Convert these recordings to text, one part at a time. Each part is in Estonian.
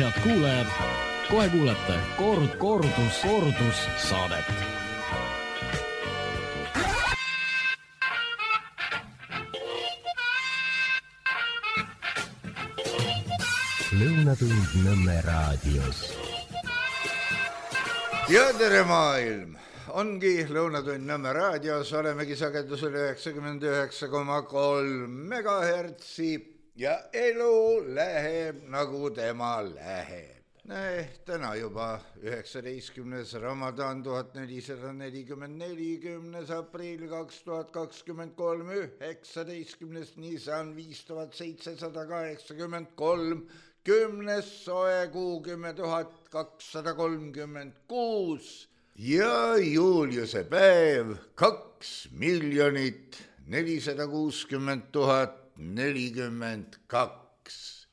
Head kuulajad, kohe kuulete kordus saadet. Lõunatund Nõmme raadios. Ja tere maailm! Ongi Lõunatund Nõmme raadios, olemegi sagedusel 99,3 megahertsi ja elu läheb nagu tema läheb. Täna juba 19. Ramadan 1444, 10. aprill 2023, 19. Nisan 5783, 10. soe kuu 10,236 ja Juliuse päev 2 460 042.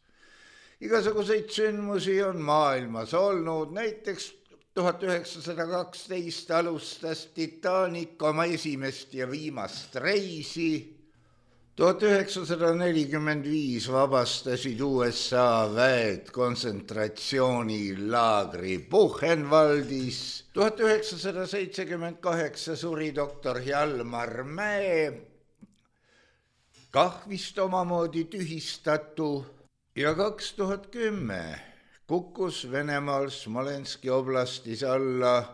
Igasuguseid sündmusi on maailmas olnud, näiteks 1912 alustas Titanic oma esimest ja viimast reisi. 1945 vabastasid USA väed kontsentratsioonilaagri Buchenwaldis. 1978 suri doktor Hjalmar Mäe, kah vist omamoodi tühistatu. Ja 2010 kukkus Venemaal Smolenski oblastis alla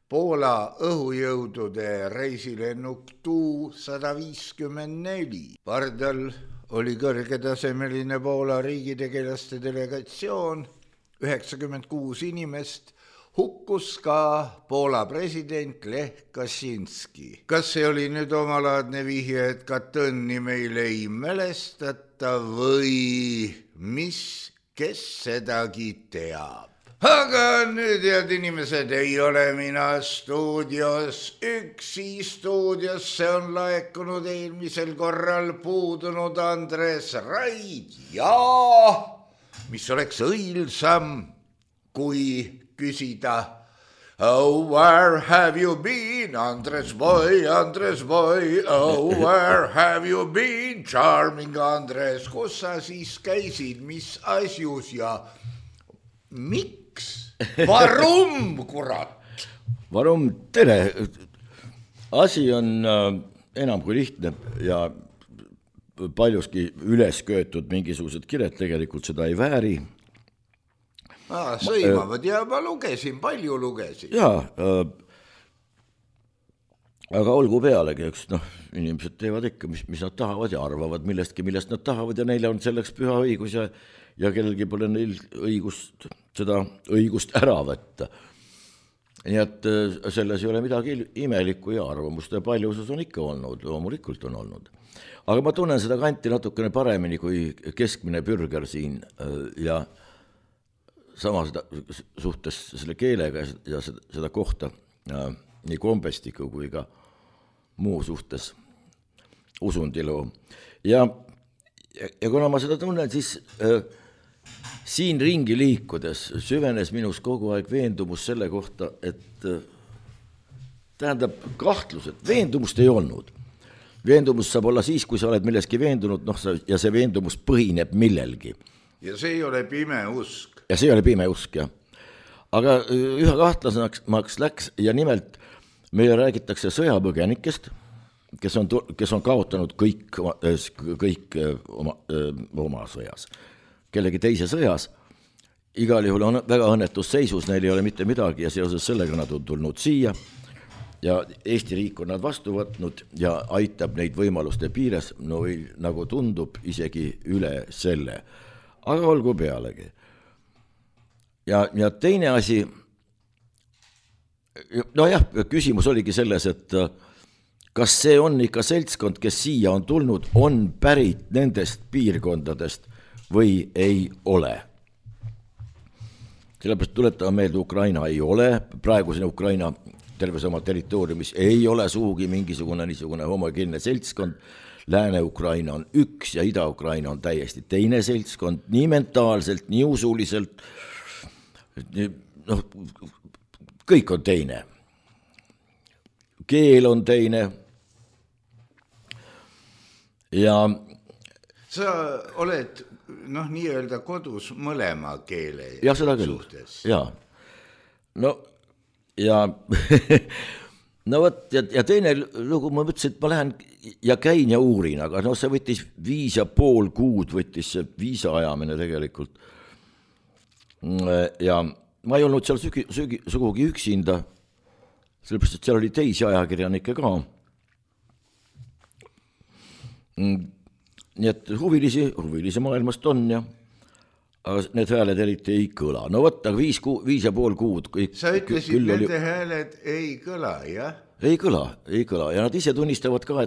Poola õhujõudude reisilennuk Tu-154. Pardal oli kõrgetasemeline Poola riigitegelaste delegatsioon, 96 inimest, hukkus ka Poola president Lech Kaczynski. Kas see oli nüüd omalaadne vihje, et Katõnni meil ei mälestata või kes sedagi teab? Aga nüüd, head inimesed, ei ole mina stuudios üksi. Stuudiosse on laekunud eelmisel korral puudunud Andres Raid ja mis oleks õilsam, kui küsida Oh, where have you been, Andres boy, oh, where have you been, charming Andres, kus sa siis käisid, mis asjus ja miks? Varum, kurat! Varum, tere! Asi on enam kui lihtne ja paljuski üles köetud mingisugused kired tegelikult seda ei vääri. Sõimavad ja ma lugesin, palju lugesin. Jaa, aga olgu pealegi, eks inimesed teevad ikka, mis nad tahavad ja arvavad millestki, millest nad tahavad ja neile on selleks püha õigus ja kellelgi pole neil seda õigust ära võtta. Nii et selles ei ole midagi imelikku ja arvamuste paljusus on ikka olnud, loomulikult on olnud. Aga ma tunnen seda kanti natukene paremini kui keskmine bürger siin ja sama suhtes selle keelega ja seda kohta nii kombestiku kui ka muu suhtes usundilu. Ja kuna ma seda tunnen, siis siin ringi liikudes süvenes minus kogu aeg veendumus selle kohta, et tähendab kahtlus, et veendumust ei olnud. Veendumus saab olla siis, kui sa oled milleski veendunud ja see veendumus põhineb millelgi. Ja see ei ole pime usk. Ja see oli pime usk, jah. Aga ühe kahtlasemaks läks ja nimelt meile räägitakse sõjapõgenikest, kes on kaotanud kõik oma sõjas. Kellegi teise sõjas, igal juhul on väga õnnetus seisus, neil ei ole mitte midagi ja seoses sellega nad on tulnud siia ja Eesti riik on nad vastu võtnud ja aitab neid võimaluste piires, nagu tundub isegi üle selle. Aga olgu pealegi. Ja teine asi, küsimus oligi selles, et kas see on ikka seltskond, kes siia on tulnud, on pärit nendest piirkondadest või ei ole. Sellepärast tuletame meelde, Ukraina ei ole, praegusena Ukraina terves oma territooriumis ei ole suugi mingisugune niisugune homogeenne seltskond. Lääne-Ukraina on üks ja Ida-Ukraina on täiesti teine seltskond, nii mentaalselt, nii usuliselt, kõik on teine. Keel on teine. Ja sa oled noh, nii-öelda kodus mõlema keele ja seda küll, jaa. No ja no võt, ja teine lugu, ma mõtlesin, et ma lähen ja käin ja uurin, aga no see võttis 5,5 kuud, võttis see viisa ajamine tegelikult. Ja ma ei olnud seal sugugi üksinda, sellepärast, et seal oli teisi ajakirjanikke ka. Nii et huvilisi maailmast on ja aga need hääled eriti ei kõla. No võtta 5,5 kuud. Sa ütlesid, nende hääled ei kõla, jah? Ei kõla. Ja nad ise tunnistavad ka,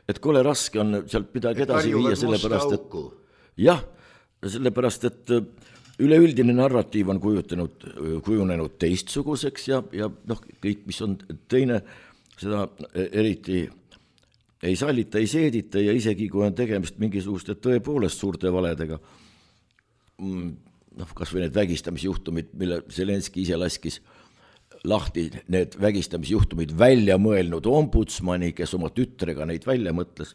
et kole raske on sealt midagi edasi viia, sellepärast, et jah, sellepärast, et üleüldine narratiiv on kujunenud teistsuguseks ja noh, kõik, mis on teine, seda eriti ei sallita, ei seedita ja isegi kui on tegemist mingisuguste tõepoolest suurte valedega, noh, kas või need vägistamisjuhtumid, mille Zelenski ise laskis lahti, need vägistamisjuhtumid välja mõelnud ombudsmani, kes oma tütrega neid välja mõtles,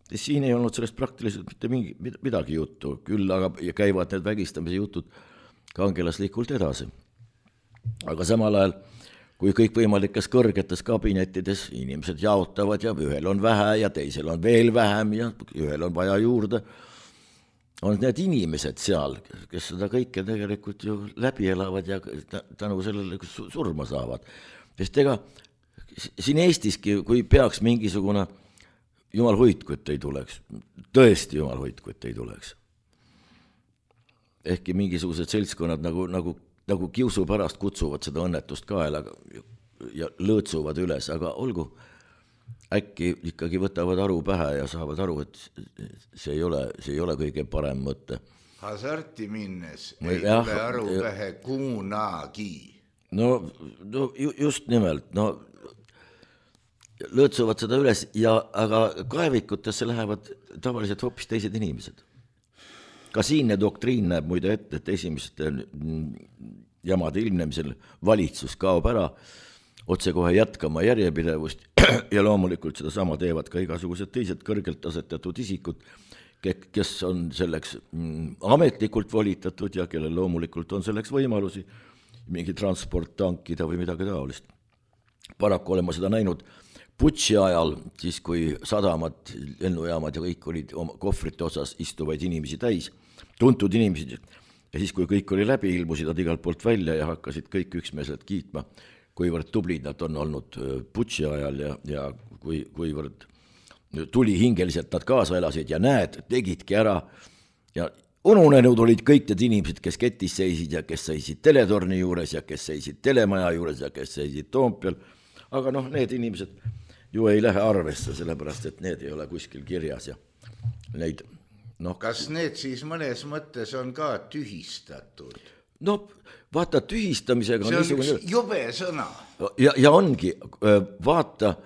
siin ei olnud sellest praktiliselt mitte midagi juttu, küll aga käivad need vägistamise jutud kangelaslikult edasi. Aga samal ajal, kui kõikvõimalikes kõrgetes kabinettides inimesed jaotavad ja ühel on vähe ja teisel on veel vähem ja ühel on vaja juurde, on need inimesed seal, kes seda kõike tegelikult ju läbi elavad ja tänu sellele surma saavad. Sest ega siin Eestiski, kui peaks mingisugune jumal hoidku, et ei tuleks, tõesti jumal hoidku, et ei tuleks. Ehkki mingisugused seltskonnad nagu kiusu pärast kutsuvad seda õnnetust kaelaga ja lõõtsuvad üles, aga olgu, äkki ikkagi võtavad aru pähe ja saavad aru, et see ei ole kõige parem mõte. Hasarti minnes ei tule aru pähe kunagi. No just nimelt, no lõõtsuvad seda üles, aga kaevikutesse lähevad tavaliselt hoopis teised inimesed. Ka siinne doktriin näeb muide ette, et esimeste jamade ilmnemisel valitsus kaob ära, otse kohe jätkama järjepidevust ja loomulikult seda sama teevad ka igasugused teised kõrgelt asetatud isikud, kes on selleks ametlikult volitatud ja kellel loomulikult on selleks võimalusi mingi transport tankida või midagi taolist. Paraku olema seda näinud Putši ajal, siis kui sadamad, lennujaamad ja kõik olid oma kohvrite osas istuvaid inimesi täis, tuntud inimesi, ja siis kui kõik oli läbi, ilmusid nad igalt poolt välja ja hakkasid kõik üksmeelselt kiitma, kuivõrd tublid nad on olnud Putši ajal ja kuivõrd tulihingeliselt nad kaasa elasid ja näed, tegidki ära ja ununenud olid kõik need inimesed, kes ketis seisid ja kes seisid teletorni juures ja kes seisid telemaja juures ja kes seisid Toompeal, aga noh, need inimesed ju ei lähe arvesse, sellepärast, et need ei ole kuskil kirjas ja neid, noh. Kas need siis mõnes mõttes on ka tühistatud? No vaata, tühistamisega see on niisugune üks jube sõna. Ja ongi, vaata,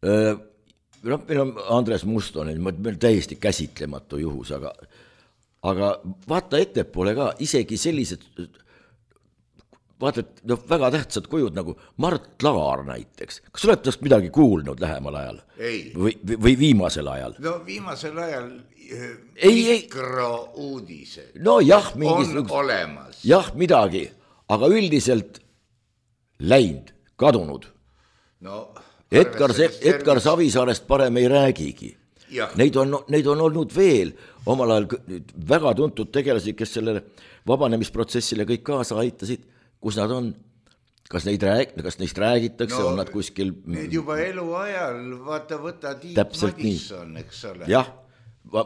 meil on Andres Mustonen, meil täiesti käsitlematu juhus, aga vaata ettepoole ka, isegi sellised vaata, et väga tähtsad kujud nagu Mart Laar näiteks. Kas oled tast midagi kuulnud lähemal ajal? Ei. Või viimasel ajal? No viimasel ajal mikrouudised no, jah, on olemas. Jah, midagi, aga üldiselt läinud, kadunud. No, Edgar Savisaarest parem ei räägigi. Jah. Neid on olnud veel omal ajal väga tuntud tegelasi, kes sellele vabanemisprotsessile kõik kaasa aitasid. Kus nad on? Kas neist räägitakse? On nad kuskil? Need juba eluajal, võta Tiit Madisson, eks ole. Jah,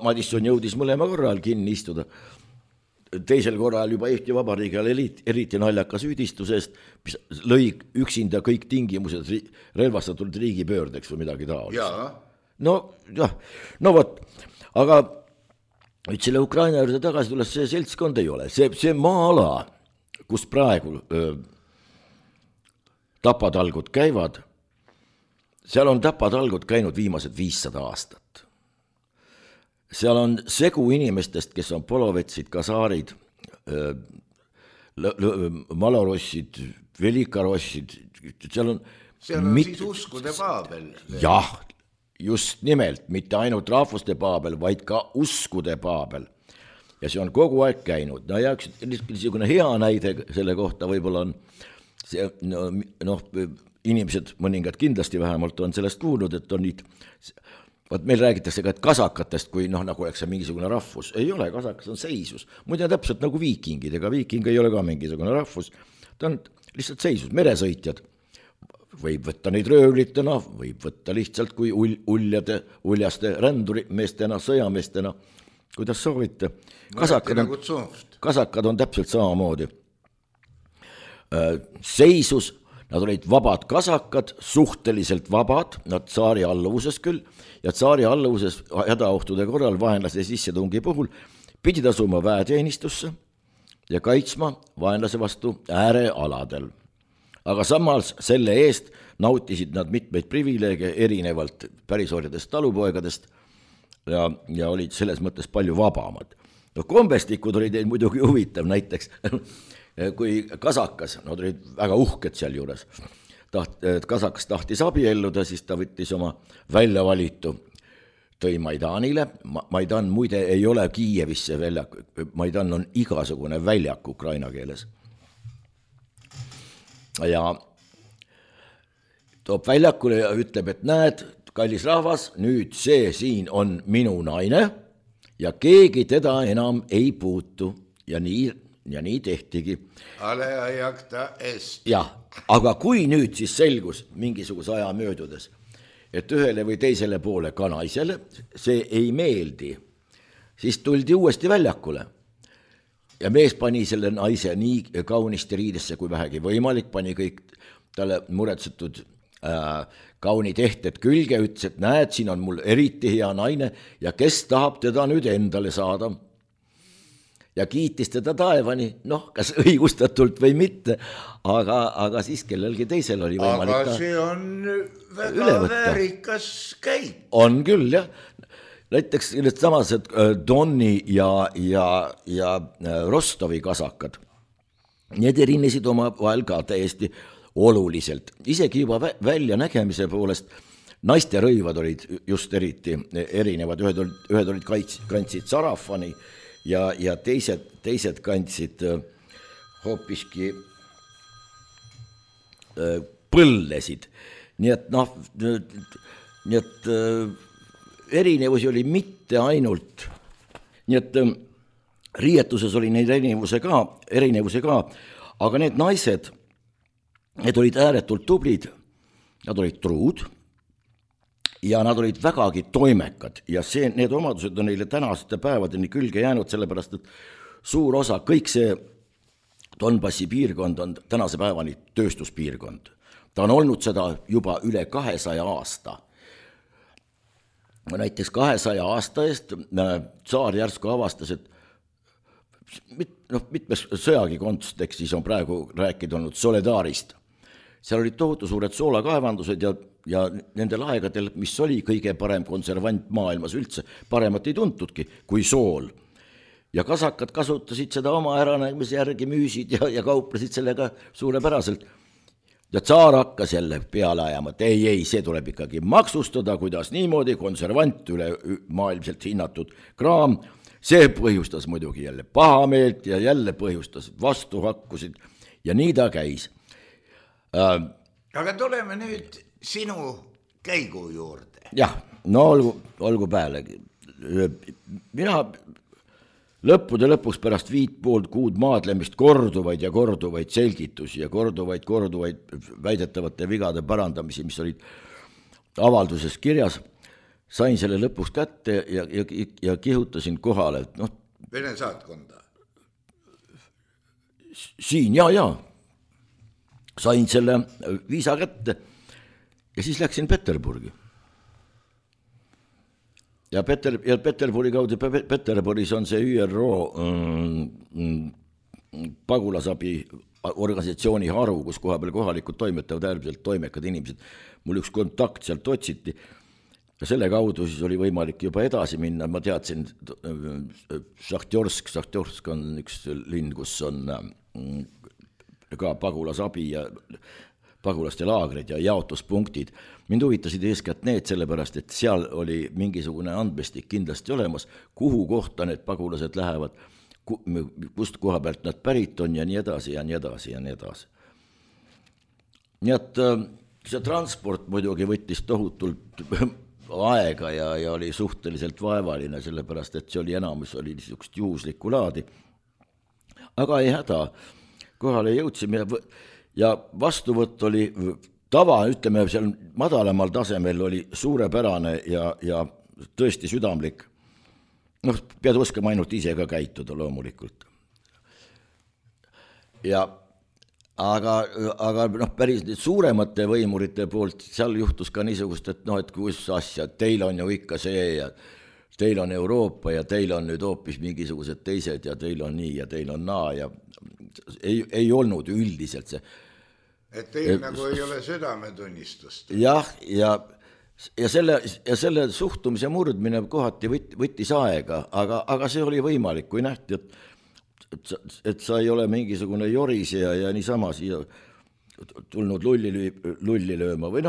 Madisson jõudis mõlema korral kinni istuda. Teisel korral juba Eesti Vabariigil eriti naljaka süüdistusest, mis lõi üksinda kõik tingimused relvastatud riigipöördeks või midagi taolist. Jaa. No jah, no vot, aga nüüd selle Ukraina juurde tagasi tulles see seltskond ei ole. See maa-ala, kus praegu tapatalgud käivad, seal on tapatalgud käinud viimased 500 aastat. Seal on segu inimestest, kes on polovetsid, kasaarid, malorossid, velikarossid, seal on siis uskude Paabel. Jah, just nimelt, mitte ainult rahvuste paabel, vaid ka uskude paabel. Ja see on kogu aeg käinud. No ja üks niisugune hea näide selle kohta võib-olla on see, inimesed, mõningad kindlasti vähemalt on sellest kuulnud, et on nüüd, meil räägitakse ka, et kasakatest, kui nagu oleks see mingisugune rahvus. Ei ole, kasakas on seisus. Muide täpselt nagu viikingid, ega viiking ei ole ka mingisugune rahvus. Ta on lihtsalt seisus, meresõitjad. Võib võtta neid röövlitena, võib võtta lihtsalt kui uljaste rändurimeestena, sõjameestena, kuidas soovite. Kasakad on täpselt samamoodi. Seisus, nad olid vabad kasakad, suhteliselt vabad, nad tsaari alluvuses küll, ja tsaari alluvuses hädaohtude korral vaenlase sissetungi puhul pidid asuma väeteenistusse ja kaitsma vaenlase vastu äärealadel. Aga samas selle eest nautisid nad mitmeid privileege erinevalt pärisorjadest talupoegadest ja olid selles mõttes palju vabamad. Kombestikud olid muidugi huvitav, näiteks kui kasakas, nad olid väga uhked seal juures, kasakas tahtis abielluda, siis ta võttis oma väljavalitu, tõi Maidanile. Maidan muide ei ole Kiievisse väljak, Maidan on igasugune väljak ukraina keeles. Ja toob väljakule ja ütleb, et näed, kallis rahvas, nüüd see siin on minu naine ja keegi teda enam ei puutu ja nii tehtigi. Ale ajakta est. Jah, aga kui nüüd siis selgus mingisuguse aja möödudes, et ühele või teisele poole ka naisele see ei meeldi, siis tuldi uuesti väljakule. Ja mees pani selle naise nii kaunisti riidesse kui vähegi võimalik, pani kõik talle muretsetud kaunid ehted külge, ütles, et näed, siin on mul eriti hea naine ja kes tahab teda nüüd endale saada. Ja kiitis teda taevani, kas õigustatult või mitte, aga siis kellelgi teisel oli võimalik. Aga see on väga väärikas käik. On küll, jah. Näiteks need samased Donni ja Rostovi kasakad, need erinesid oma vahel ka täiesti oluliselt. Isegi juba välja nägemise poolest naiste rõivad olid just eriti erinevad. Ühed olid kandsid sarafani ja teised kandsid hoopiski põllesid. Nii et erinevusi oli mitte ainult, nii et riietuses oli neid erinevusi ka, aga need naised, need olid ääretult tublid, nad olid truud ja nad olid vägagi toimekad ja need omadused on neile tänaste päevadeni külge jäänud, sellepärast et suur osa, kõik see Donbassi piirkond on tänase päevani tööstuspiirkond. Ta on olnud seda juba üle 200 aasta. Näiteks 200 aasta eest tsaar järsku avastas, et mitmes sõjagi kontekstis on praegu rääkida olnud Soledarist. Seal olid tohutu suured soolakaevandused ja nendel aegadel, mis oli kõige parem konservant maailmas üldse, paremat ei tuntudki kui sool. Ja kasakad kasutasid seda oma äranägemise järgi, müüsid ja kauplesid sellega suurepäraselt. Ja tsaar hakkas jälle peale ajama, et ei, see tuleb ikkagi maksustada, kuidas niimoodi, konservant üle maailmselt hinnatud kraam. See põhjustas muidugi jälle pahameelt ja jälle põhjustas vastuhakkusid ja nii ta käis. Aga tuleme nüüd sinu käigu juurde. Jah, olgu pealegi. Mina lõppude lõpuks pärast 5,5 kuud maadlemist korduvaid selgitusi ja korduvaid väidetavate vigade parandamisi, mis olid avalduses kirjas, sain selle lõpuks kätte ja kihutasin kohale. Vene saatkonda? Siin, jaa. Sain selle viisa kätte ja siis läksin Peterburgi. Ja Peterburi kaudu, Peterburis on see ÜRO pagulasabi organisatsiooni haru, kus kohapeal kohalikud toimetavad äärmiselt toimekad inimesed. Mul üks kontakt sealt otsiti ja selle kaudu siis oli võimalik juba edasi minna. Ma teadsin, Šahtjorsk on üks linn, kus on ka pagulasabi ja pagulaste laagrid ja jaotuspunktid. Mind huvitasid eeskätt need sellepärast, et seal oli mingisugune andmestik kindlasti olemas, kuhu kohta need pagulased lähevad, kust koha pealt nad pärit on ja nii edasi ja nii edasi ja nii edasi. Nii et see transport muidugi võttis tohutult aega ja oli suhteliselt vaevaline, sellepärast et see oli enamus oli niisugust juhuslikku laadi. Aga ei häda, kohale jõudsime ja vastuvõtt oli tava, ütleme seal madalamal tasemel oli suurepärane ja tõesti südamlik. Noh, pead oskama ainult ise ka käituda loomulikult. Aga päris suuremate võimurite poolt seal juhtus ka niisugust, et et kus asja, teil on ju ikka see ja teil on Euroopa ja teil on nüüd hoopis mingisugused teised ja teil on nii ja teil on naa ja ei olnud üldiselt see. Et teil nagu ei ole südametunnistust. Jah, ja selle suhtumise murdmine kohati võttis aega, aga see oli võimalik, kui nähti, et sa ei ole mingisugune jorisija ja niisama siia tulnud lulli lööma või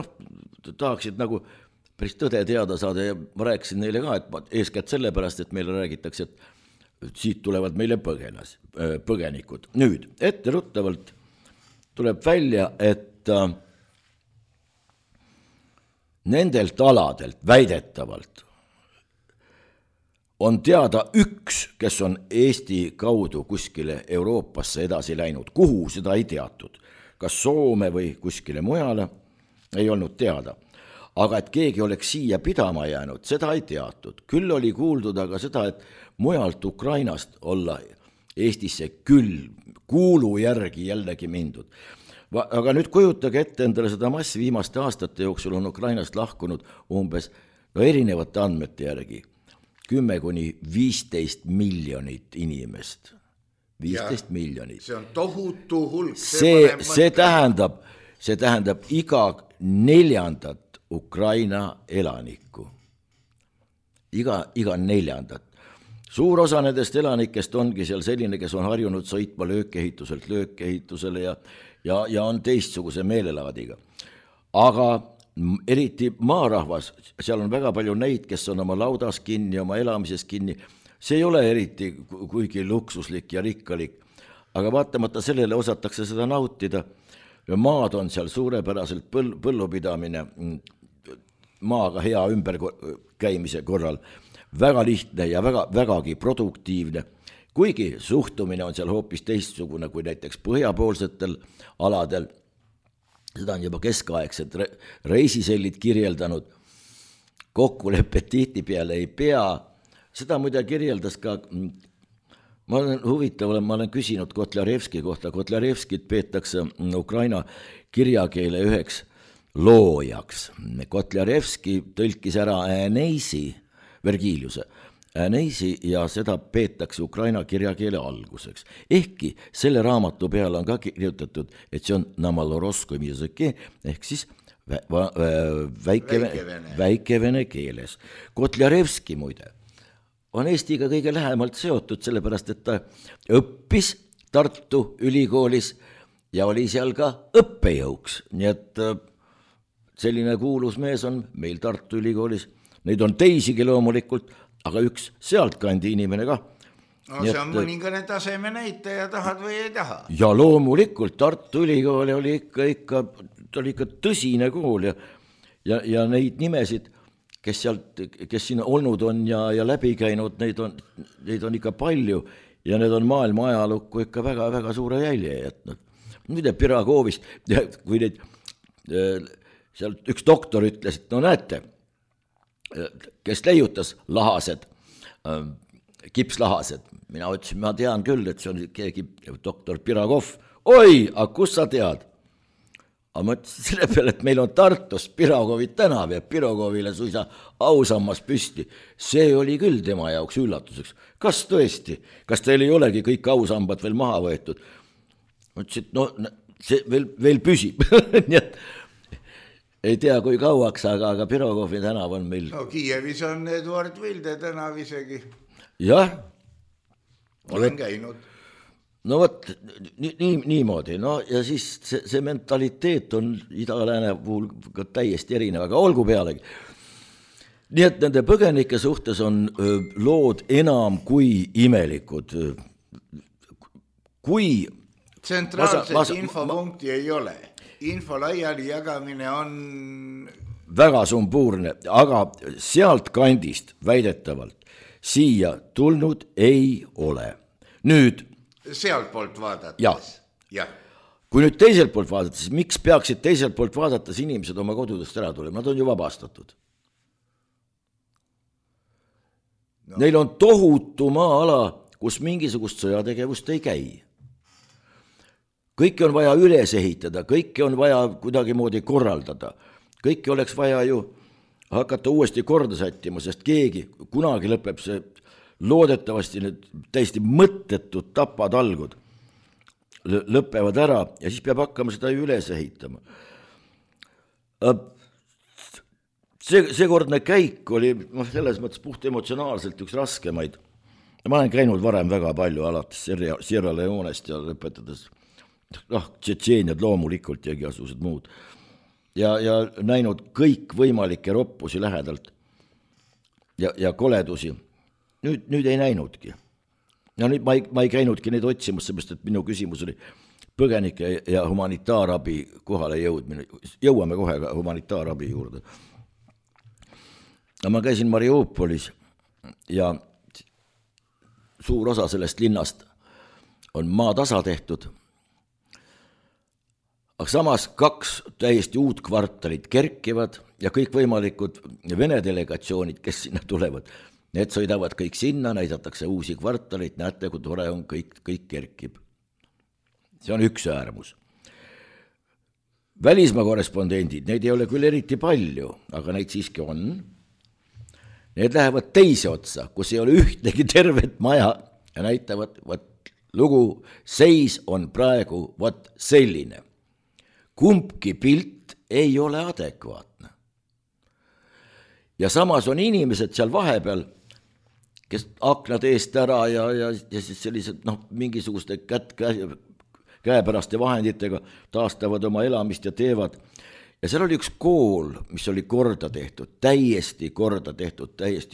tahaksid nagu päris tõde teada saada ja ma rääkisin neile ka, et eeskätt sellepärast, et meile räägitakse, et siit tulevad meile põgenikud. Nüüd, etteruttavalt tuleb välja, et nendelt aladelt väidetavalt on teada üks, kes on Eesti kaudu kuskile Euroopasse edasi läinud. Kuhu seda ei teatud? Kas Soome või kuskile mujale? Ei olnud teada. Aga et keegi oleks siia pidama jäänud, seda ei teatud. Küll oli kuuldud aga seda, et mujalt Ukrainast olla Eestisse küll kuulu järgi jällegi mindud. Aga nüüd kujutage ette endale seda massi viimaste aastate jooksul on Ukrainast lahkunud umbes erinevate andmete järgi 10–15 miljonit inimest. 15 miljonit. See on tohutu hulk. See tähendab iga 4. Ukraina elanikku. Iga 4. Suur osa nendest elanikest ongi seal selline, kes on harjunud sõitma löökehituselt löökehitusele ja on teistsuguse meelelaadiga. Aga eriti maarahvas, seal on väga palju neid, kes on oma laudas kinni, oma elamises kinni. See ei ole eriti kuigi luksuslik ja rikkalik, aga vaatamata sellele osatakse seda nautida. Maad on seal suurepäraselt põllupidamine, maaga hea ümberkäimise korral, väga lihtne ja vägagi produktiivne. Kuigi suhtumine on seal hoopis teistsugune kui näiteks põhjapoolsetel aladel, seda on juba keskaegsed reisisellid kirjeldanud, kokkulepped tihtipeale ei pea, seda muide kirjeldas ka, ma olen küsinud Kotlarevski kohta, Kotlarevskit peetakse Ukraina kirjakeele üheks loojaks. Kotlarevski tõlkis ära Äneisi, Vergiliuse, Äneisi ja seda peetakse Ukraina kirjakeele alguseks. Ehkki selle raamatu peale on ka kirjutatud, et see on namaloroskom jõzõke, ehk siis väikevene keeles. Kotlarevski muide on Eestiga kõige lähemalt seotud, sellepärast et ta õppis Tartu ülikoolis ja oli seal ka õppejõuks. Nii et selline kuulus mees on meil Tartu ülikoolis. Neid on teisigi loomulikult, aga üks sealtkandi inimene ka. No see on mõningane taseme näitaja, tahad või ei taha. Ja loomulikult Tartu ülikool oli ikka tõsine kool ja neid nimesid, kes siin olnud on ja läbi käinud, neid on ikka palju ja need on maailma ajalukku ikka väga suure jälje jätnud. Nüüd Piragovist, kui neid seal üks doktor ütles, et näete, kes leiutas lahased, kipslahased. Mina ütlesin, ma tean küll, et see on keegi doktor Piragov. Oi, aga kus sa tead? Aga ma ütlesin selle peale, et meil on Tartus Piragovi tänav ja Piragovile suisa ausammas püsti. See oli küll tema jaoks üllatuseks. Kas tõesti? Kas teil ei olegi kõik ausambad veel maha võetud? Ma ütlesin, et see veel püsib. Nii et ei tea, kui kauaks, aga Pirogovi tänav on meil. No Kiievis on Eduard Vilde tänav isegi. Jah. Olen käinud. no vot, niimoodi, no ja siis see mentaliteet on ida-lääne puhul ka täiesti erinev, aga olgu pealegi. Nii et nende põgenike suhtes on lood enam kui imelikud. Kui tsentraalset infopunkti ei ole. Info laiali jagamine on väga sumbuurne, aga sealt kandist väidetavalt siia tulnud ei ole. Nüüd sealt poolt vaadates. Ja. Kui nüüd teiselt poolt vaadata, siis miks peaksid teiselt poolt vaadates inimesed oma kodudest ära tulema? Nad on ju vabastatud. No. Neil on tohutu maa-ala, kus mingisugust sõjategevust ei käi. Kõike on vaja üles ehitada, kõike on vaja kuidagi moodi korraldada. Kõike oleks vaja ju hakata uuesti korda sättima, sest keegi kunagi lõpeb see loodetavasti need täiesti mõttetud tapatalgud lõpevad ära ja siis peab hakkama seda üles ehitama. Seekordne käik oli selles mõttes puht emotsionaalselt üks raskemaid. Ma olen käinud varem väga palju alates Sierra Leonest ja lõpetades Tšetšeeniad loomulikult ja igasugused muud. Ja näinud kõik võimalikke roppusi lähedalt ja koledusi. Nüüd ei näinudki. Ja nüüd ma ei käinudki neid otsimus, seepärast, et minu küsimus oli põgenike ja humanitaarabi kohale jõudmine. Jõuame kohe ka humanitaarabi juurde. Ma käisin Mariupolis ja suur osa sellest linnast on maatasa tehtud. Aga samas 2 täiesti uut kvartalit kerkivad ja kõik võimalikud Vene delegatsioonid, kes sinna tulevad, need sõidavad kõik sinna, näidatakse uusi kvartalit, näete, kui tore on, kõik kerkib. See on üks äärmus. Välismaa korrespondendid, neid ei ole küll eriti palju, aga neid siiski on. Need lähevad teise otsa, kus ei ole ühtegi tervet maja ja näitavad, lugu seis on praegu selline. Kumbki pilt ei ole adekvaatne. Ja samas on inimesed seal vahepeal, kes aknad eest ära ja siis sellised mingisuguste käepäraste vahenditega taastavad oma elamist ja teevad. Ja seal oli üks kool, mis oli korda tehtud, täiesti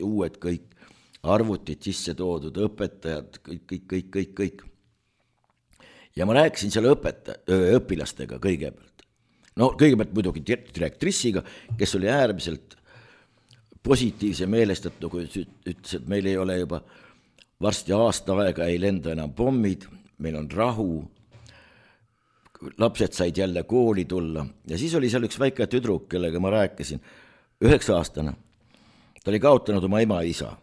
uued kõik, arvutid sisse toodud, õpetajad, kõik. Ja ma rääkisin selle õpilastega kõigepealt. No kõigepealt muidugi direktrissiga, kes oli äärmiselt positiivse meelestatu, kui ütles, et meil ei ole juba varsti aasta aega, ei lenda enam pommid, meil on rahu, lapsed said jälle kooli tulla ja siis oli seal üks väike tüdruk, kellega ma rääkisin, 9-aastane. Ta oli kaotanud oma ema ja isa.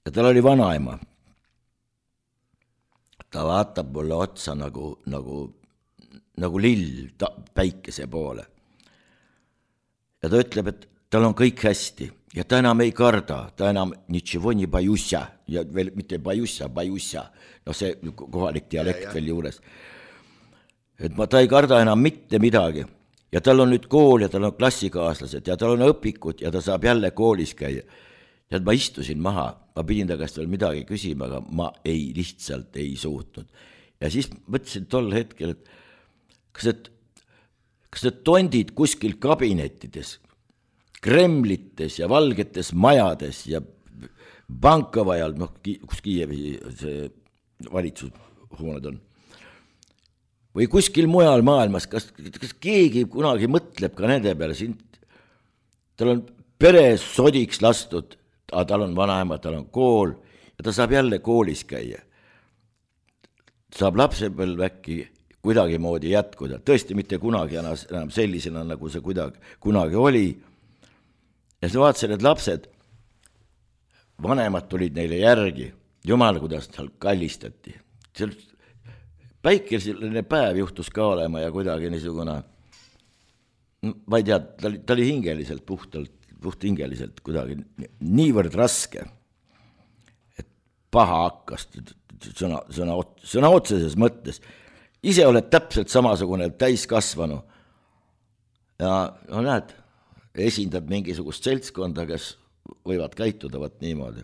Ja tal oli vanaema. Ta vaatab mulle otsa nagu lill päikese poole. Ja ta ütleb, et tal on kõik hästi ja ta enam ei karda, ta enam nitševo ni bajussa ja veel mitte bajussa, no see kohalik dialekt veel juures. Et ta ei karda enam mitte midagi ja tal on nüüd kool ja tal on klassikaaslased ja tal on õpikud ja ta saab jälle koolis käia. Ja ma istusin maha, ma pidin ta käest veel midagi küsima, aga ma lihtsalt ei suutnud. Ja siis mõtlesin tol hetkel, et kas need tondid kuskil kabinettides, Kremlites ja valgetes majades ja Bankovajal, kus Kiievi see valitsushooned on, või kuskil mujal maailmas, kas keegi kunagi mõtleb ka nende peale, tal on pere sodiks lastud, tal on vanaema, tal on kool ja ta saab jälle koolis käia. Saab lapsepõlv äkki kuidagi moodi jätkuda, tõesti mitte kunagi enam sellisena, nagu see kunagi oli. Ja sa vaatasid, et lapsed, vanemad tulid neile järgi, jumal, kuidas tal kallistati. Päikeline päev juhtus ka olema ja kuidagi niisugune, ma ei tea, ta oli hingeliselt, puht hingeliselt kuidagi niivõrd raske, et paha hakkas sõna otseses mõttes. Ise oled täpselt samasugune täiskasvanu ja näed, esindad mingisugust seltskonda, kes võivad käituda niimoodi.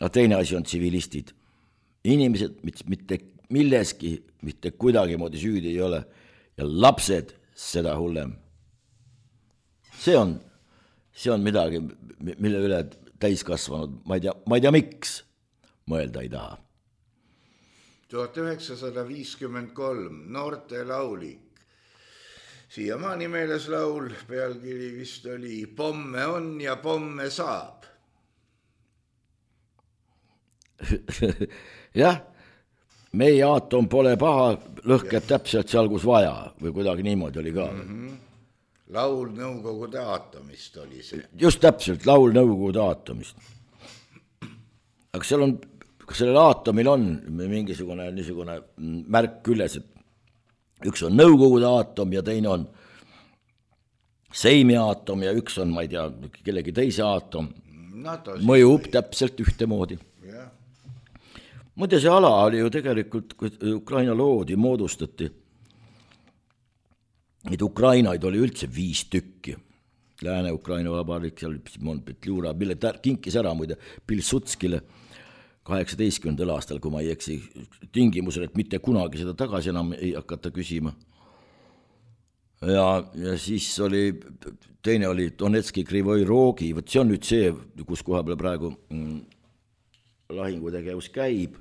aga teine asi on tsivilistid. Inimesed mitte milleski, mitte kuidagimoodi süüdi ei ole ja lapsed seda hullem. See on midagi, mille üle täiskasvanud, ma ei tea miks, mõelda ei taha. 1953 noorte laulik. Siiamaani meeles laul, pealkiri vist oli Pomme on ja pomme saab. Jah, meie aatom pole paha, lõhkeb täpselt seal, kus vaja või kuidagi niimoodi oli ka. Laul Nõukogude aatomist oli see. Just täpselt, laul Nõukogude aatomist. Aga sellel aatomil on mingisugune niisugune märk küljes, et üks on Nõukogude aatom ja teine on Seimi aatom ja üks on, ma ei tea, kellegi teise aatom. Mõjub täpselt ühtemoodi. Muide, see ala oli ju tegelikult, kui Ukraina loodi, moodustati. Neid Ukrainaid oli üldse 5 tükki. Lääne-Ukraina vabariik, seal Simon Petliura, mille kinkis ära muide Pilsudskile 18. aastal, kui ma ei eksi, tingimusel, et mitte kunagi seda tagasi enam ei hakata küsima. Ja siis oli, teine oli Donetski Krivoi Rogi, võt see on nüüd see, kus koha peal praegu lahingutegevus käib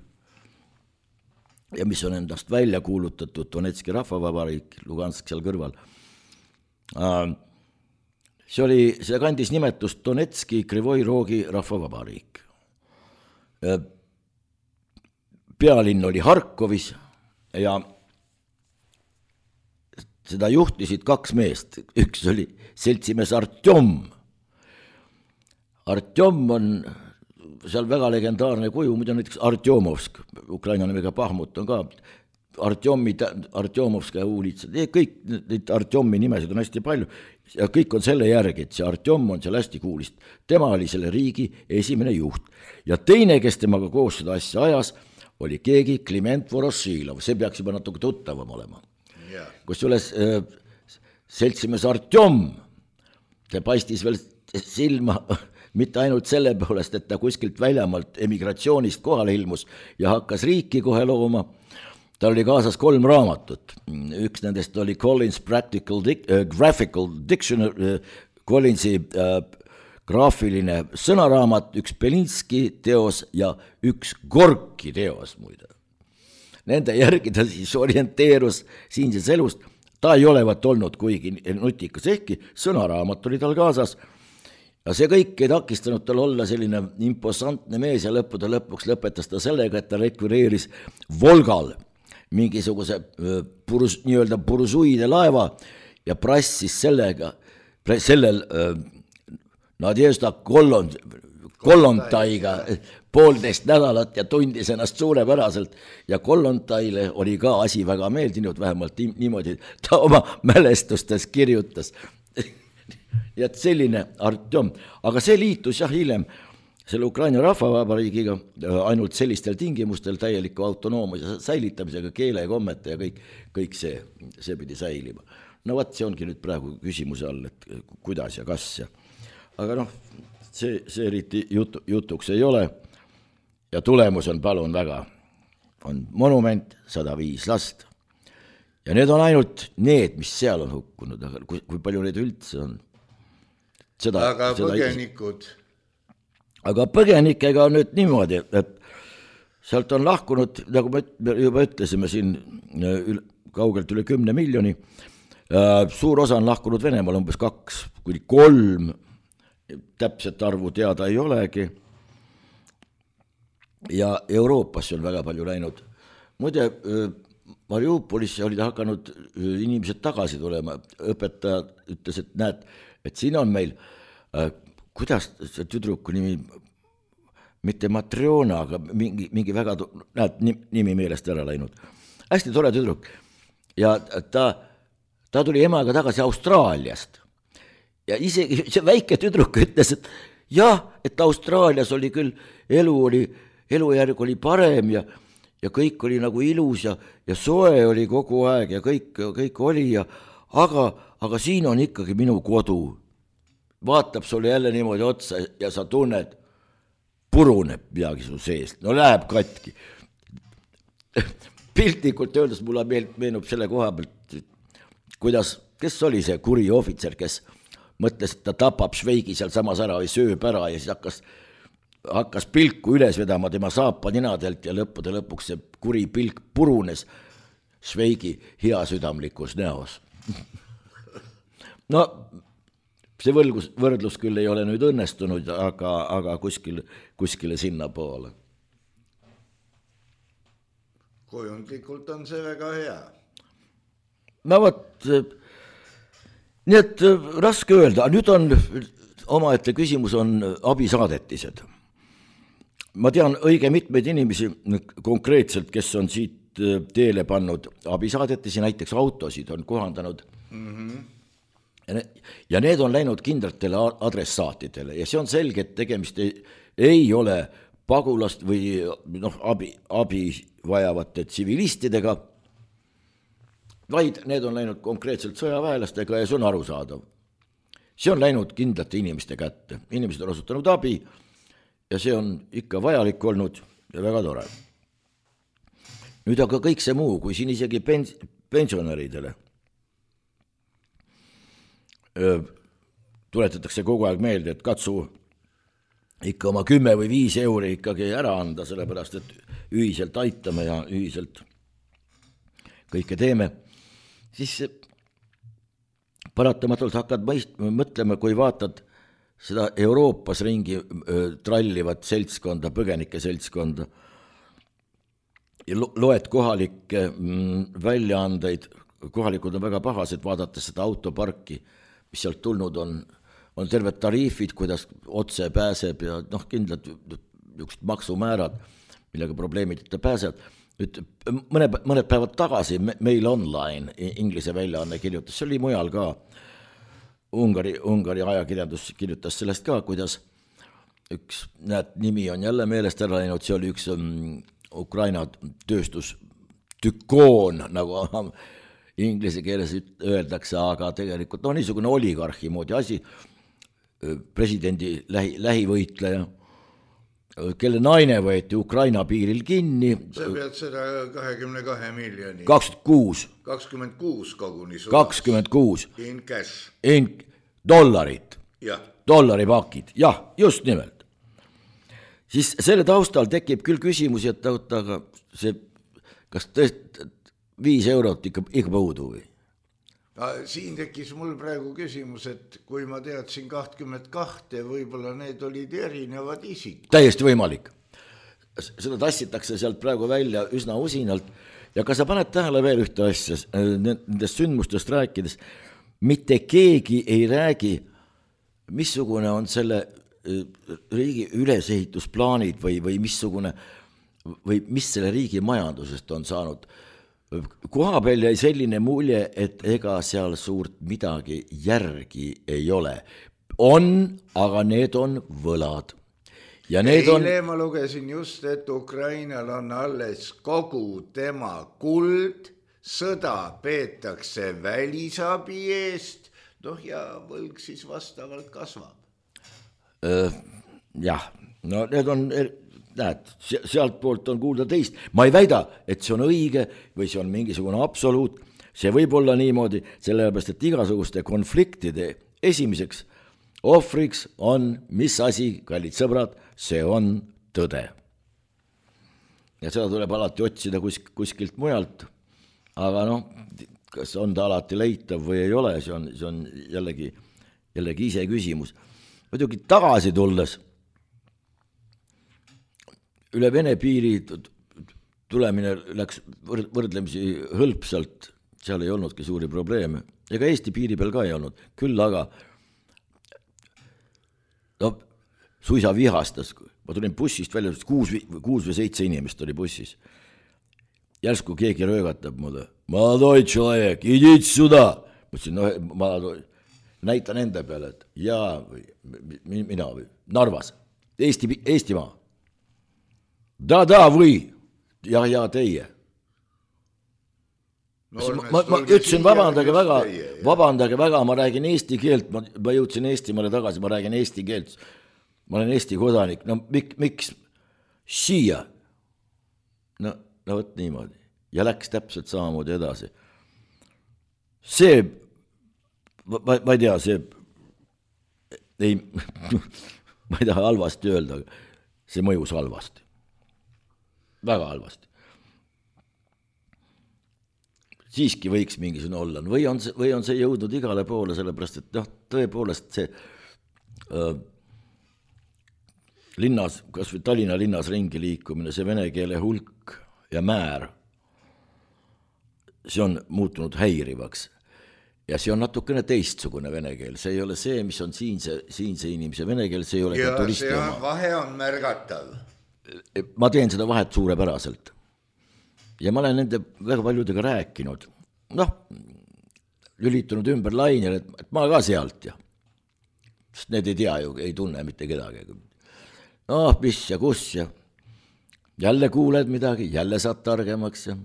ja mis on endast välja kuulutatud Donetski rahvavabariik, Lugansk seal kõrval. See kandis nimetust Donetski Krivoi Rogi rahvavabariik. Pealinn oli Harkovis ja seda juhtisid 2 meest. Üks oli seltsimees Artjom. Artjom on seal väga legendaarne kuju, muidu näiteks Artjomovsk, Ukraina nimega Pahmut on ka, Artjomovska uulitsad, kõik neid Artjomi nimesid on hästi palju ja kõik on selle järgi, et see Artjom on seal hästi kuulist. Tema oli selle riigi esimene juht ja teine, kes temaga koos seda asja ajas, oli keegi Kliment Vorošilov, see peaks juba natuke tuttavam olema. Kus üles seltsimees Artjom, see paistis veel silma mitte ainult selle poolest, et ta kuskilt väljamaalt emigratsioonist kohale ilmus ja hakkas riiki kohe looma. Tal oli kaasas 3 raamatut. Üks nendest oli Collins Graphical Dictionary, Collinsi graafiline sõnaraamat, üks Belinski teos ja üks Gorki teos muide. Nende järgi ta siis orienteerus siinses elust. Ta ei olevat olnud kuigi nutikas, ehkki sõnaraamat oli tal kaasas. Ja see kõik ei takistanud tal olla selline imposantne mees ja lõpuks lõpetas ta sellega, et ta rekvireeris Volgal mingisuguse nii-öelda bursuide laeva ja prassis sellel Nadježda Kollontajga 1,5 nädalat ja tundis ennast suurepäraselt ja Kollontaile oli ka asi väga meeldinud, vähemalt niimoodi ta oma mälestustes kirjutas. Ja selline Artjom, aga see liitus jah hiljem selle Ukraina rahvavabariigiga ainult sellistel tingimustel täieliku autonoomia säilitamisega, keele ja kommete ja kõik see pidi säilima. No võt, see ongi nüüd praegu küsimuse all, et kuidas ja kas ja aga noh, see eriti jutuks ei ole ja tulemus on palun väga. On monument, 105 last ja need on ainult need, mis seal on hukkunud, aga kui palju neid üldse on? Aga põgenikud? Aga põgenikega on nüüd niimoodi, et sealt on lahkunud, nagu me juba ütlesime siin kaugelt üle 10 miljoni, suur osa on lahkunud Venemaal, umbes 2-3, täpset arvu teada ei olegi ja Euroopasse on väga palju läinud. Muide, Mariupolisse olid hakanud inimesed tagasi tulema, õpetaja ütles, et näed, et siin on meil, kuidas see tüdruku nimi, mitte Matriona, aga mingi väga, näed, nimi meelest ära läinud. Hästi tore tüdruk ja ta tuli emaga tagasi Austraaliast. Ja isegi see väike tüdruk ütles, et jah, et Austraalias oli küll elujärg oli parem ja kõik oli nagu ilus ja soe oli kogu aeg ja kõik oli aga siin on ikkagi minu kodu. Vaatab sulle jälle niimoodi otsa ja sa tunned puruneb midagi su seest, no läheb katki. Piltlikult öeldes mulle meenub selle koha pealt, kuidas, kes oli see kuri ohvitser, kes mõtles, et ta tapab Šveigi seal samas ära või sööb ära ja siis hakkas pilku üles vedama tema saapaninadelt ja lõpuks see kuri pilk purunes Šveigi heasüdamlikus näos. No see võrdlus küll ei ole nüüd õnnestunud, aga kuskile sinna poole. Kujundlikult on see väga hea. No vot, nii et raske öelda, nüüd on omaette küsimus on abisaadetised. Ma tean õige mitmeid inimesi konkreetselt, kes on siit teele pannud abisaadetisi, näiteks autosid on kohandanud ja need on läinud kindlatele adressaatidele ja see on selge, et tegemist ei ole pagulast või abi vajavate tsivilistidega, vaid need on läinud konkreetselt sõjaväelastega ja see on arusaadav. See on läinud kindlate inimeste kätte, inimesed on osutanud abi ja see on ikka vajalik olnud ja väga tore. Nüüd aga kõik see muu, kui siin isegi pensionäridele tuletatakse kogu aeg meelde, et katsu ikka oma 10 või 5 euri ikkagi ära anda, sellepärast et ühiselt aitame ja ühiselt kõike teeme, siis paratamatult hakkad mõtlema, kui vaatad seda Euroopas ringi trallivat seltskonda, põgenike seltskonda ja loed kohalikke väljaandeid, kohalikud on väga pahased, vaadates seda autoparki, mis sealt tulnud on terved tariifid, kuidas otse pääseb ja kindlad maksumäärad, millega probleemideta pääseb. Nüüd, mõned päevad tagasi Mail Online, inglise väljaanne kirjutas, see oli mujal ka, Ungari ajakirjandus kirjutas sellest ka, kuidas nimi on jälle meelest ära läinud, see oli üks Ukraina tööstus tükoon, nagu inglise keeles öeldakse, aga tegelikult niisugune oligarhi moodi asi, presidendi lähivõitleja, kelle naine võeti Ukraina piiril kinni. Sa pead seda 22 miljoni. 26 koguni. 26. In cash. Dollarit. Jah. Dollaripakid, jah, just nimelt. Siis selle taustal tekib küll küsimusi, et aga see, kas tõesti 5 eurot ikka puudu või? Siin tekkis mul praegu küsimus, et kui ma teadsin 22, võib-olla need olid erinevad isik. Täiesti võimalik. Seda tassitakse sealt praegu välja üsna usinalt ja kas sa paned tähele veel ühte asja, nendest sündmustest rääkides, mitte keegi ei räägi, missugune on selle riigi ülesehitusplaanid või missugune või mis selle riigi majandusest on saanud. Koha peal jäi selline mulje, et ega seal suurt midagi järgi ei ole. On, aga need on võlad. Ja need Eile ma lugesin just, et Ukrainal on alles kogu tema kuld, sõda peetakse välisabi eest, ja võlg siis vastavalt kasvab. Jah, no need on, näed, sealt poolt on kuulda teist. Ma ei väida, et see on õige või see on mingisugune absoluut. See võib olla niimoodi, sellepärast, et igasuguste konfliktide esimeseks ohvriks on, mis asi, kallid sõbrad, see on tõde. Ja seda tuleb alati otsida kuskilt mujalt, aga kas on ta alati leitav või ei ole, see on jällegi ise küsimus. Muidugi tagasi tulles, üle Vene piiri tulemine läks võrdlemisi hõlpsalt, seal ei olnudki suuri probleeme, ega Eesti piiri peal ka ei olnud, küll aga suisa vihastas, ma tulin bussist välja, 6 või 7 inimest oli bussis, järsku keegi röögatab mulle, молодой человек, идите сюда, mõtlesin, ma näitan enda peale, et jaa, mina või Narvas, Eestimaa. Da, või, ja teie. Ma ütlesin, vabandage väga, ma räägin eesti keelt, ma jõudsin Eestimaale tagasi, ma räägin eesti keelt. ma olen Eesti kodanik, no miks siia? No võt niimoodi. Ja läks täpselt samamoodi edasi. See, ma ei tea, see ei, ma ei taha halvasti öelda, see mõjus halvasti. Väga halvasti. Siiski võiks mingisugune olla. Või on see jõudnud igale poole, sellepärast, et tõepoolest see linnas, kas või Tallinna linnas ringi liikumine, see vene keele hulk ja määr, see on muutunud häirivaks. Ja see on natukene teistsugune vene keel. See ei ole see, mis on siinse inimese vene keel, see ei ole ja turisti see oma. Vahe on märgatav. Ma teen seda vahet suurepäraselt. Ja ma olen nende väga paljudega rääkinud. Lülitunud ümber lainel, et ma ka sealt ja. Sest need ei tea ju, ei tunne mitte kedagi. Mis ja kus ja jälle kuuled midagi, jälle saad targemaks ja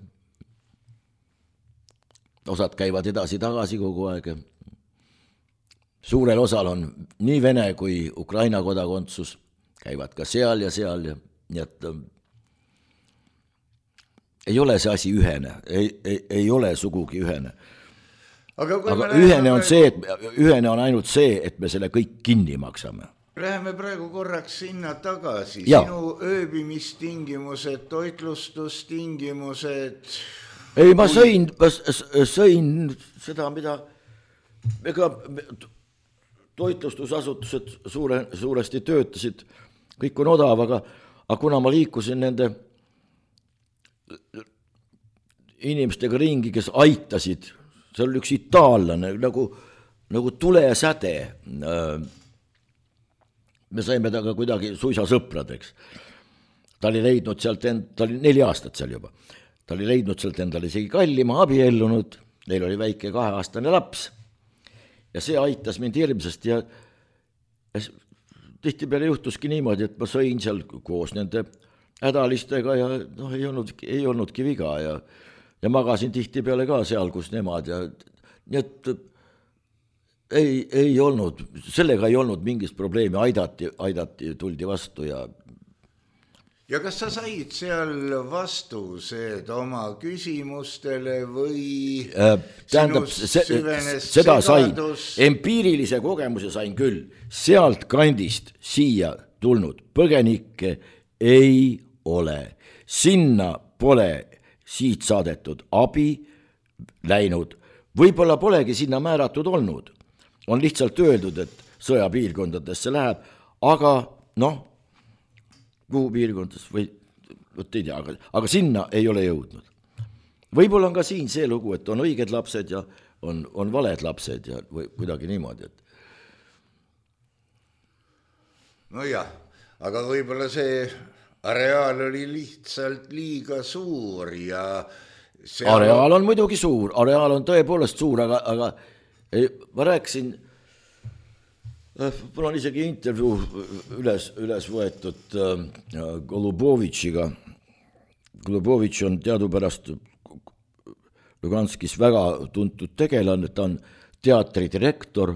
osad käivad edasi-tagasi kogu aeg. Suurel osal on nii Vene kui Ukraina kodakondsus, käivad ka seal ja nii et ei ole see asi ühene, ei ole sugugi ühene. Aga ühene on ainult see, et me selle kõik kinni maksame. Läheme praegu korraks sinna tagasi. Ja. Sinu ööbimistingimused, toitlustustingimused. Ei, ma sõin seda, mida ega toitlustusasutused suuresti töötasid, kõik on odav, aga kuna ma liikusin nende inimestega ringi, kes aitasid, see oli üks itaallane, nagu tulesäde. Me saime taga kuidagi suisa sõpradeks. Ta oli leidnud sealt ta oli 4 aastat seal juba. Ta oli leidnud sealt endale isegi kallima, abiellunud, neil oli väike 2-aastane laps. Ja see aitas mind hirmsasti ja tihtipeale juhtuski niimoodi, et ma sõin seal koos nende hädalistega ja ei olnudki viga ja magasin tihtipeale ka seal, kus nemad ja nii et ei olnud, sellega ei olnud mingist probleemi, aidati, tuldi vastu ja kas sa said seal vastused oma küsimustele või tähendab, seda sain, empiirilise kogemuse sain küll, sealt kandist siia tulnud põgenikke ei ole, sinna pole siit saadetud abi läinud, võib-olla polegi sinna määratud olnud, on lihtsalt öeldud, et sõjapiirkondadesse läheb, aga kuhu piirkondades või ei tea, aga sinna ei ole jõudnud. Võib-olla on ka siin see lugu, et on õiged lapsed ja on valed lapsed ja või kuidagi niimoodi. Nojah, aga võib-olla see areaal oli lihtsalt liiga suur ja areaal on muidugi suur, areaal on tõepoolest suur, aga ma rääkisin, mul on isegi intervjuu üles võetud Golubovitšiga. Golubovitš on teadupärast Luganskis väga tuntud tegelane, ta on teatridirektor,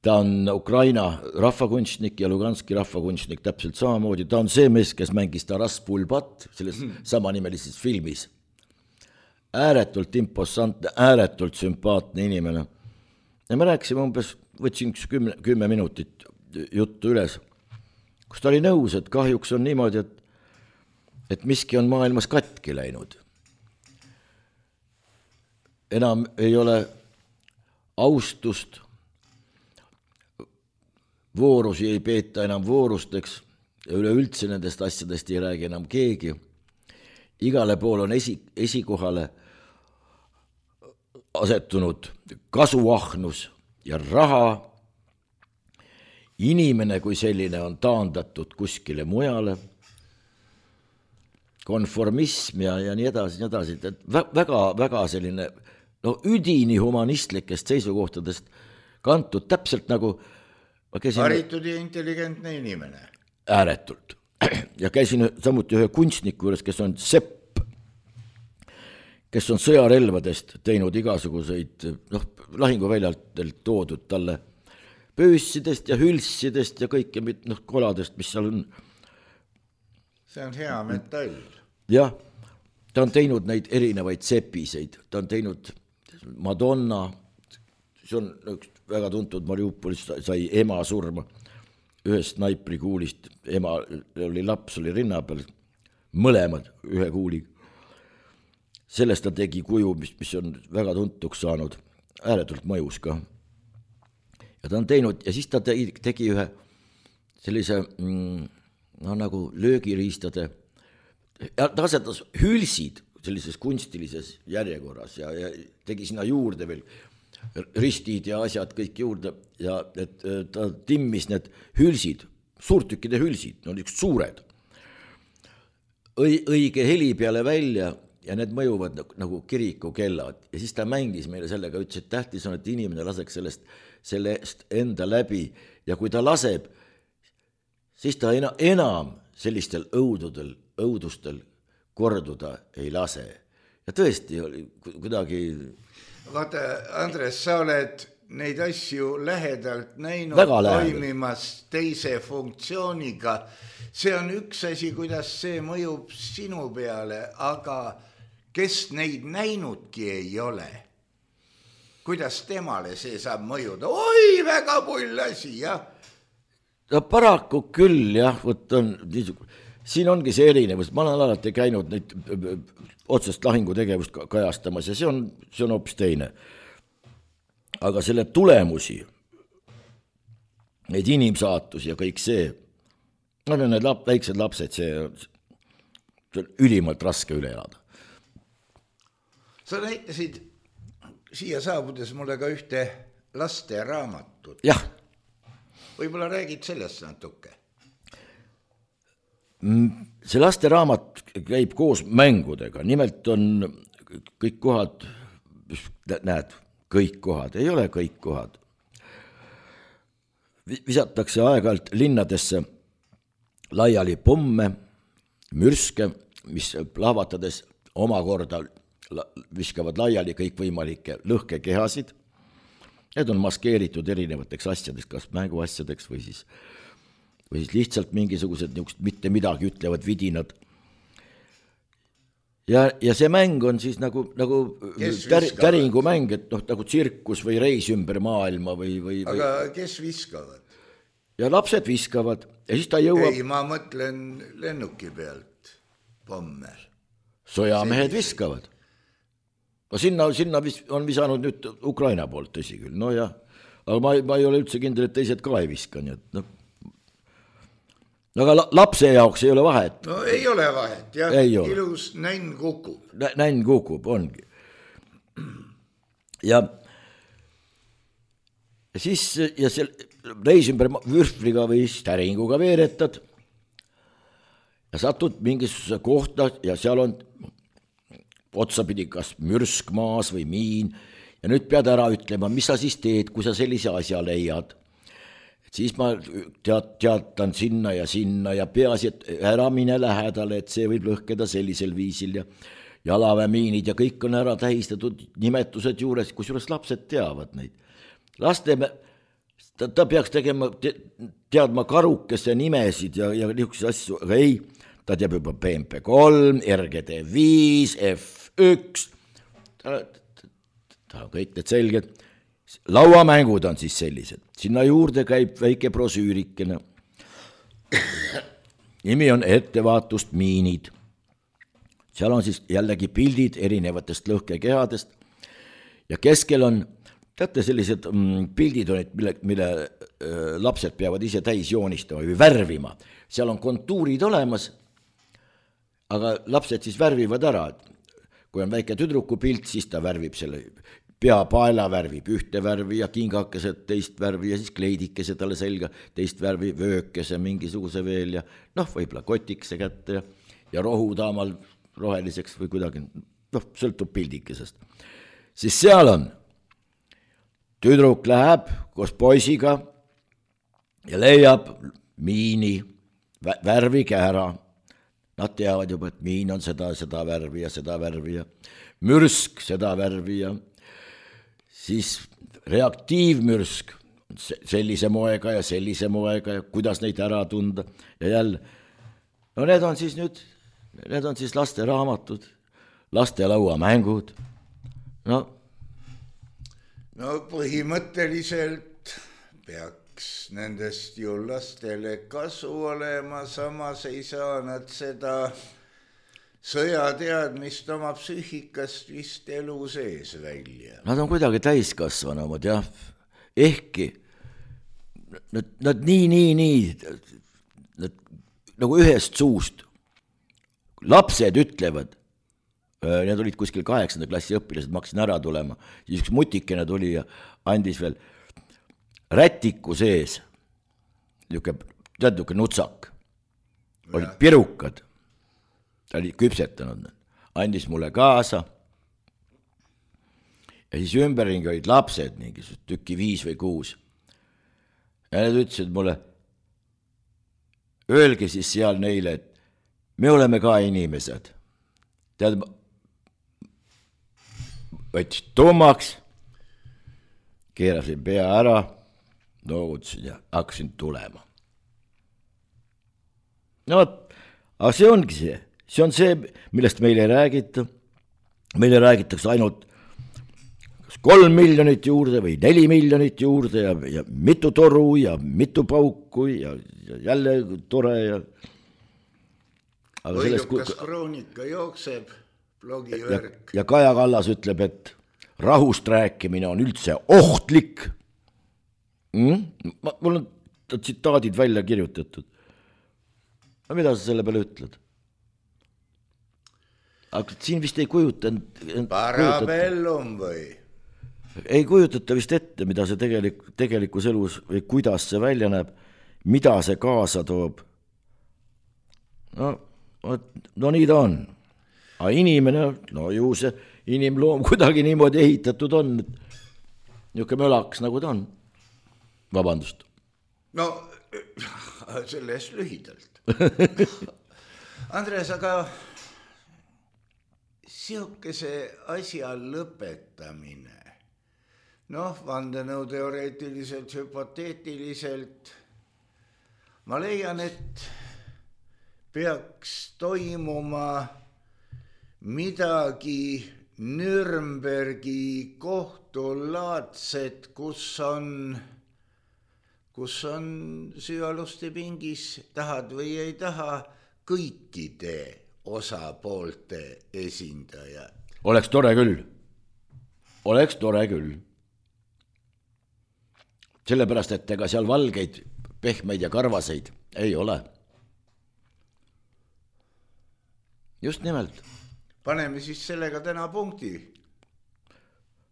ta on Ukraina rahvakunstnik ja Luganski rahvakunstnik täpselt samamoodi, ta on see mees, kes mängis Taras Pulbat selles samanimelises filmis. Ääretult imposantne, ääretult sümpaatne inimene. Ja me rääkisime umbes, võtsin 10 minutit juttu üles, kus ta oli nõus, et kahjuks on niimoodi, et miski on maailmas katki läinud. Enam ei ole austust, voorusi ei peeta enam voorusteks ja üleüldse nendest asjadest ei räägi enam keegi. Igale pool on esikohale asetunud kasuahnus ja raha. Inimene kui selline on taandatud kuskile mujale. Konformism ja nii edasi. Väga selline üdini humanistlikest seisukohtadest kantud täpselt nagu haritud ja intelligentne inimene. Ääretult. Ja käisin samuti ühe kunstniku juures, kes on sepp, kes on sõjarelvadest teinud igasuguseid lahinguväljalt toodud talle pöössidest ja hülssidest ja kõike koladest, mis seal on. See on hea metall. Jah, ta on teinud neid erinevaid sepiseid, ta on teinud Madonna, see on üks väga tuntud Mariupolis, sai ema surma ühest snaiprikuulist, ema oli laps, oli rinna peal, mõlemad ühe kuuliga. Sellest ta tegi kuju, mis on väga tuntuks saanud, ääretult mõjus ka. Ja ta on teinud, ja siis ta tegi ühe sellise nagu löögiriistade, ja ta asetas hülsid sellises kunstilises järjekorras ja tegi sinna juurde veel ristid ja asjad kõik juurde ja et ta timmis need hülsid, suurtükkide hülsid, no niisugused suured, õige heli peale välja ja need mõjuvad nagu kirikukellad ja siis ta mängis meile sellega, ütles, et tähtis on, et inimene laseks sellest enda läbi ja kui ta laseb, siis ta enam sellistel õudustel korduda ei lase. Ja tõesti oli kuidagi... Vaata, Andres, sa oled neid asju lähedalt näinud toimimas teise funktsiooniga. See on üks asi, kuidas see mõjub sinu peale, aga kes neid näinudki ei ole. Kuidas temale see saab mõjuda? Oi, väga pull asi, jah. No, paraku küll, jah, siin ongi see erinevus. Ma olen alati käinud neid otsest lahingutegevust kajastamas ja see on hoopis teine. Aga selle tulemusi, neid inimsaatusi ja kõik see, need väiksed lapsed, see on ülimalt raske üle elada. Sa näitasid siia saabudes mulle ka ühte laste raamatut. Jah. Võib-olla räägid sellest natuke? See laste raamat käib koos mängudega, nimelt on kõik kohad, näed, kõik kohad, ei ole kõik kohad. Visatakse aeg-ajalt linnadesse laiali pomme, mürske, mis plahvatades omakorda viskavad laiali kõikvõimalikke lõhkekehasid. Need on maskeeritud erinevateks asjadeks, kas mänguasjadeks või siis lihtsalt mingisugused mitte midagi ütlevad vidinad. Ja see mäng on siis nagu täringumäng, et nagu tsirkus või reis ümber maailma või... Aga kes viskavad? Ja lapsed viskavad ja siis ta jõuab... Ei, ma mõtlen lennuki pealt pomme. Sojamehed viskavad. No sinna on visanud nüüd Ukraina poolt, tõsi küll, no jah. Aga ma ei ole üldse kindel, et teised ka ei viska, nii et noh. Aga lapse jaoks ei ole vahet. No ei ole vahet, jah. Ilus nänn kukub. Nänn kukub, ongi. Ja siis see reis ümber vürfliga või täringuga veeretad ja satud mingisuguse kohta ja seal on otsapidi kas mürsk maas või miin ja nüüd pead ära ütlema, mis sa siis teed, kui sa sellise asja leiad. Siis ma teatan sinna ja peaasi, et ära mine lähedale, et see võib lõhkeda sellisel viisil ja jalaväemiinid ja kõik on ära tähistatud nimetused juures, kusjuures lapsed teavad neid. Ta peaks teadma karukese nimesid ja niisuguseid asju, aga ei, ta teab juba PMP3, RGD5, F1, ta on kõik need selged. Lauamängud on siis sellised. Sinna juurde käib väike brosüürikene. Nimi on ettevaatust miinid. Seal on siis jällegi pildid erinevatest lõhkekehadest ja keskel on, teate, sellised pildid on, mille lapsed peavad ise täis joonistama või värvima. Seal on kontuurid olemas, aga lapsed siis värvivad ära. Kui on väike tüdruku pilt, siis ta värvib selle peapaela värvib ühte värvi ja kingakesed teist värvi ja siis kleidikese talle selga teist värvi, vöökese mingisuguse veel ja võib-olla kotikese kätte ja rohutaamal roheliseks või kuidagi, sõltub pildikesest. Siis seal on, tüdruk läheb koos poisiga ja leiab miini, värvige ära. Nad teavad juba, et miin on seda värvi ja mürsk seda värvi ja siis reaktiivmürsk sellise moega ja kuidas neid ära tunda ja jälle. No need on siis lasteraamatud, lastelauamängud. No põhimõtteliselt peaks nendest ju lastele kasu olema, samas ei saa nad seda sõjateadmist oma psüühikast vist elu sees välja. Nad on kuidagi täiskasvanumad, jah. Ehkki nad nii, nagu ühest suust. Lapsed ütlevad, need olid kuskil 8. klassi õpilased, ma hakkasin ära tulema, siis üks mutikene tuli ja andis veel rätiku sees, niisugune nutsak, olid pirukad, ta oli küpsetanud, andis mulle kaasa ja siis ümberringi olid lapsed, mingisugused tükki 5 või 6 ja need ütlesid mulle, öelge siis seal neile, et me oleme ka inimesed. Tead, võtsid tummaks, keerasin pea ära, noogutasin ja hakkasin tulema. No, aga see ongi see. See on see, millest meile ei räägita. Meile räägitakse ainult 3 miljonit juurde või 4 miljonit juurde ja mitu toru ja mitu pauku ja jälle tore ja... Võidukas kroonika jookseb, blogivärk. Ja Kaja Kallas ütleb, et rahust rääkimine on üldse ohtlik. Mul on tsitaadid välja kirjutatud. No mida sa selle peale ütled? Aga siin vist ei kujutanud... Parabellum või? Ei kujutata vist ette, mida see tegelikus elus või kuidas see välja näeb, mida see kaasa toob. No nii ta on. Aga inimene, no ju see inimloom kuidagi niimoodi ehitatud on, niisugune mölaks nagu ta on. Vabandust. No, sellest lühidalt. Andres, aga siukese asja lõpetamine, vandenõuteoreetiliselt, hüpoteetiliselt, ma leian, et peaks toimuma midagi Nürnbergi kohtulaadset, kus on süüaluste pingis, tahad või ei taha, kõikide osapoolte esindajad. Oleks tore küll. Sellepärast, et ega seal valgeid, pehmeid ja karvaseid ei ole. Just nimelt. Paneme siis sellega täna punkti.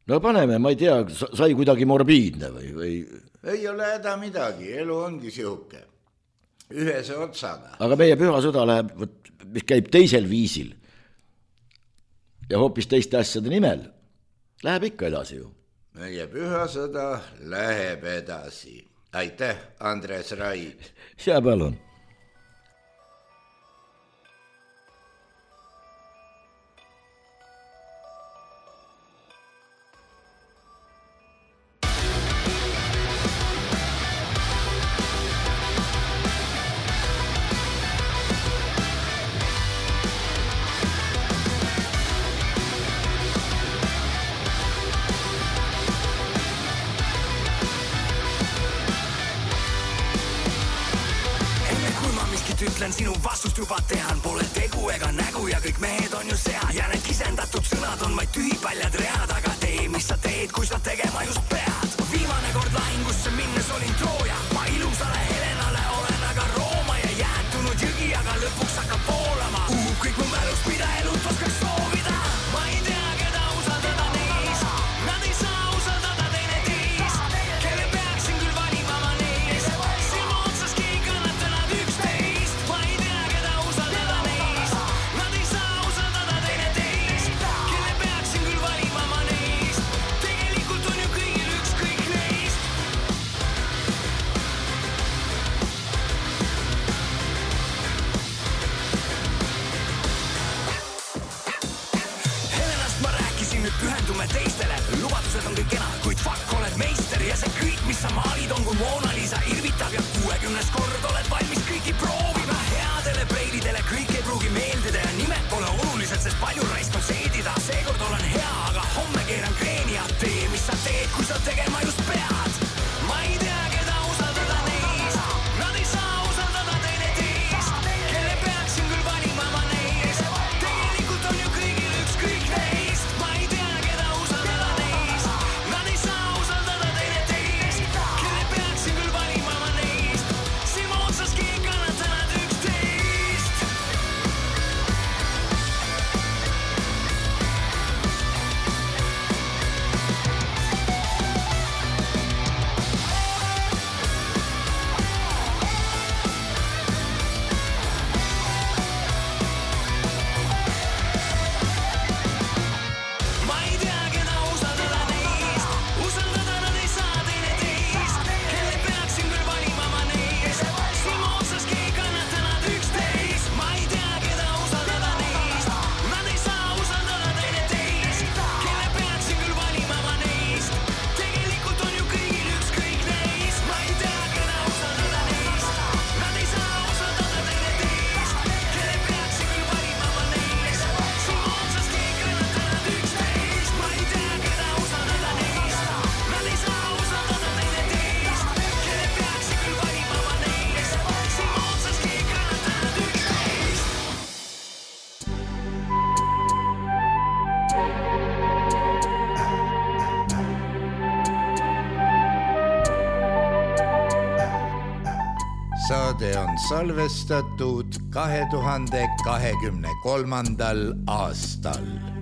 No paneme, ma ei tea, sai kuidagi morbiidne või... Ei ole häda midagi, elu ongi sihuke. Ühese otsaga. Aga meie püha sõda läheb, mis käib teisel viisil ja hoopis teiste asjade nimel, läheb ikka edasi ju. Meie püha sõda läheb edasi. Aitäh, Andres Raid. Ja palun. Sinu vastust juba tean, pole tegu ega nägu ja kõik mehed on ju sead ja need kisendatud sõnad on vaid tühipaljad read, aga tee, mis sa teed, kui sa tegema just pead. Viimane kord lahingusse minnes olin Trooja, ma ilusale Helenale olen aga Rooma ja jäätunud jõgi, aga lõpuks hakkab voolama. Kõik mu mälust, mida elut oskaks soovida. Ma ei tea, keda usaldada neis, nad ei saa usaldada teine teis, kelle peaksin küll valima ma neis, silma otsaski ei kannata nad üksteist. Ma ei tea, keda usaldada neis, nad ei saa usaldada teine teis, kelle peaksin küll valima ma neis, tegelikult on ju kõigil ükskõik neist. Helenast ma rääkisin, nüüd pühendume teistele, lubadused on kõik kena, kuid fuck oled meister ja see kõik, mis sa maalid nagu Mona Lisa irvitab ja 60 kord oled valmis kõiki proovima. Headele preilidele kõik ei pruugi meeldida ja nimed pole olulised, sest palju raisk on seedida. Seekord olen hea, aga homme keeran kreeni ja tee, mis sa teed, kui sa tegema just pead. Ma ei tea, keda usaldada neist, nad ei saa usaldada teineteist. Kelle peaksin küll valima ma neist, tegelikult on ju kõigil ükskõik neist. Ma ei tea, keda usaldada neist, nad ei saa usaldada teineteist. Kelle peaksin küll valima ma neist, silma otsaski ei kannata nad üksteist. Ma ei tea, keda usaldada neist, usaldada nad ei saa teineteist. Kelle peaksin küll valima ma neist, silma otsaski ei kannata nad üksteist. Ma ei tea, keda usaldada neist, nad ei saa usaldada teineteist. Kelle peaksin küll valima ma neist, tegelikult on ju kõigil ükskõik neist. Ma ei tea, keda usaldada neist, nad ei saa usaldada teineteist. Kelle peaksin küll valima ma neist, silma otsaski ei kannata nad üksteist. Ma ei tea, keda usaldada neist, nad ei saa usaldada teineteist. Kelle peaksin küll valima ma neist, silma otsaski ei kannata nad üksteist. Saade on salvestatud 2023. aastal.